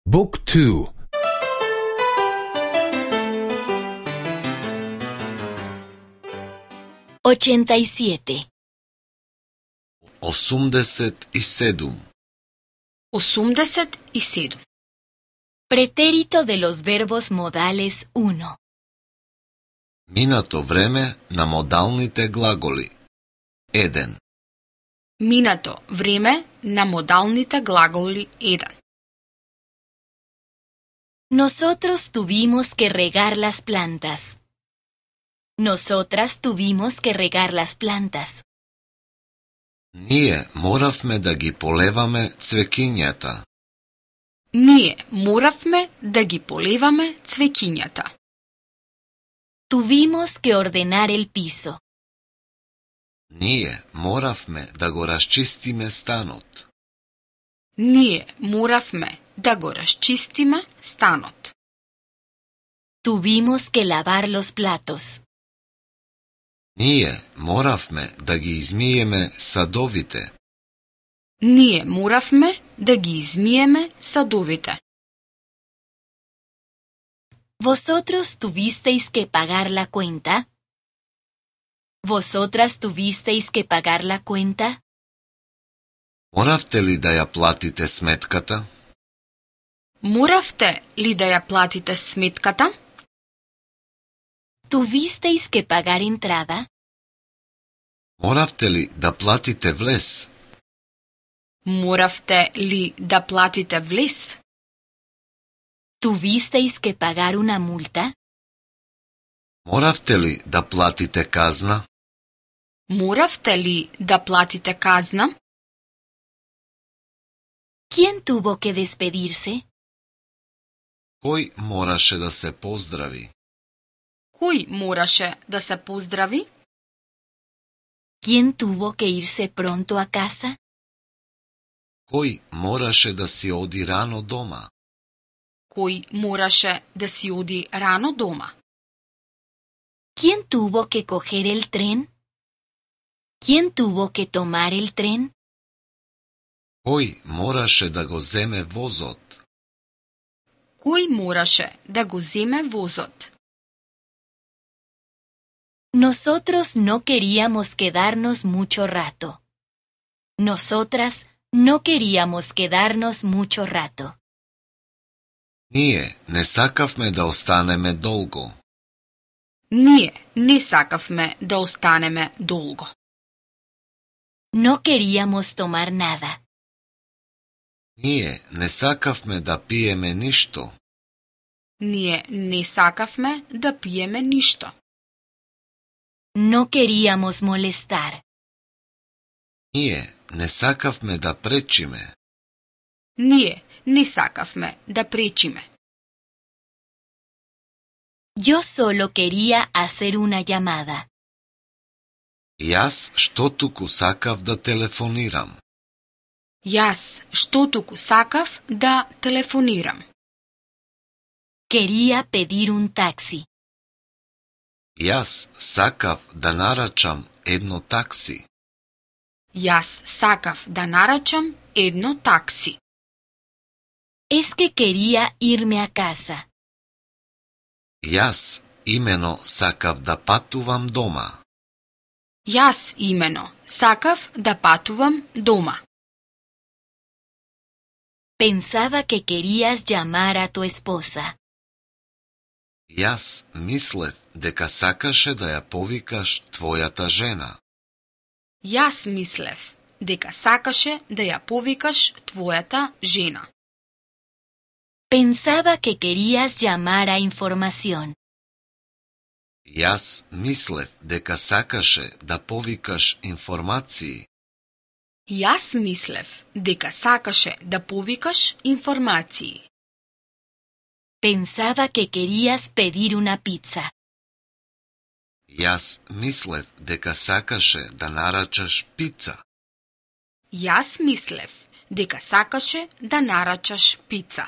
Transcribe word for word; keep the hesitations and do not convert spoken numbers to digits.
Book two. ochenta y siete. осумдесет и седум. осумдесет и седум. Pretérito de los verbos modales uno. Минато време на модалните глаголи. еден. Минато време на модалните глаголи еден. Nosotros tuvimos que regar las plantas. Nosotras tuvimos que regar las plantas. Ние моравме да ги полеваме цвекињата. Ние моравме да ги полеваме цвеќињата. Tuvimos que ordenar el piso. Ние моравме да го расчистиме станот. Ние моравме да го расчистиме станот. Tuvimos que lavar los platos. Ние моравме да ги измиеме садовите. Ние моравме да ги измиеме садовите. ¿Vosotros tuvisteis que pagar la cuenta? ¿Vosotras tuvisteis que pagar la cuenta? Моравте ли да ја платите сметката? Моравте ли да ја платите сметката? ¿Tuvisteis que pagar entrada? Моравте ли да платите влез? Моравте ли да платите влез? ¿Tuvisteis que pagar una multa? Моравте ли да платите казна? Моравте ли да платите казна? ¿Quién tuvo que despedirse? Кој мораше да се поздрави? Кој мораше да се поздрави? ¿Quién tuvo que irse pronto a casa? Кој мораше да си оди рано дома? Кој мораше да си оди рано дома? ¿Quién tuvo que coger el tren? ¿Quién tuvo que tomar el tren? Кој мораше да го земе возот? Кој мораше да го земе возот? Nosotros no queríamos quedarnos mucho rato. Nosotras no queríamos quedarnos mucho rato. Ние не сакавме да останеме долго. Ние не сакавме да останеме долго. No queríamos tomar nada. Ние не сакавме да пиеме ништо. Ние не сакавме да пиеме ништо. No queríamos molestar. Ние не сакавме да пречиме. Ние не сакавме да пречиме. Yo solo quería hacer una llamada. Јас што туку сакав да телефонирам. Јас што туку сакав да телефонирам. Quería pedir un taxi. Јас сакав да нарачам едно такси. Јас сакав да нарачам едно такси. Es que quería irme a casa. Јас имено сакав да патувам дома. Јас имено сакав да патувам дома. Pensaba que querías llamar a tu esposa. Јас мислев дека сакаше да ја повикаш твојата жена. Јас мислев дека сакаше да ја повикаш твојата жена. Pensaba que querías llamar a información. Јас мислев дека сакаше да повикаш информации. Јас мислев дека сакаше да повикаш информации. Pensaba que querías pedir una pizza. Јас мислев дека сакаше да нарачаш пица. Јас мислев дека сакаше да нарачаш пица.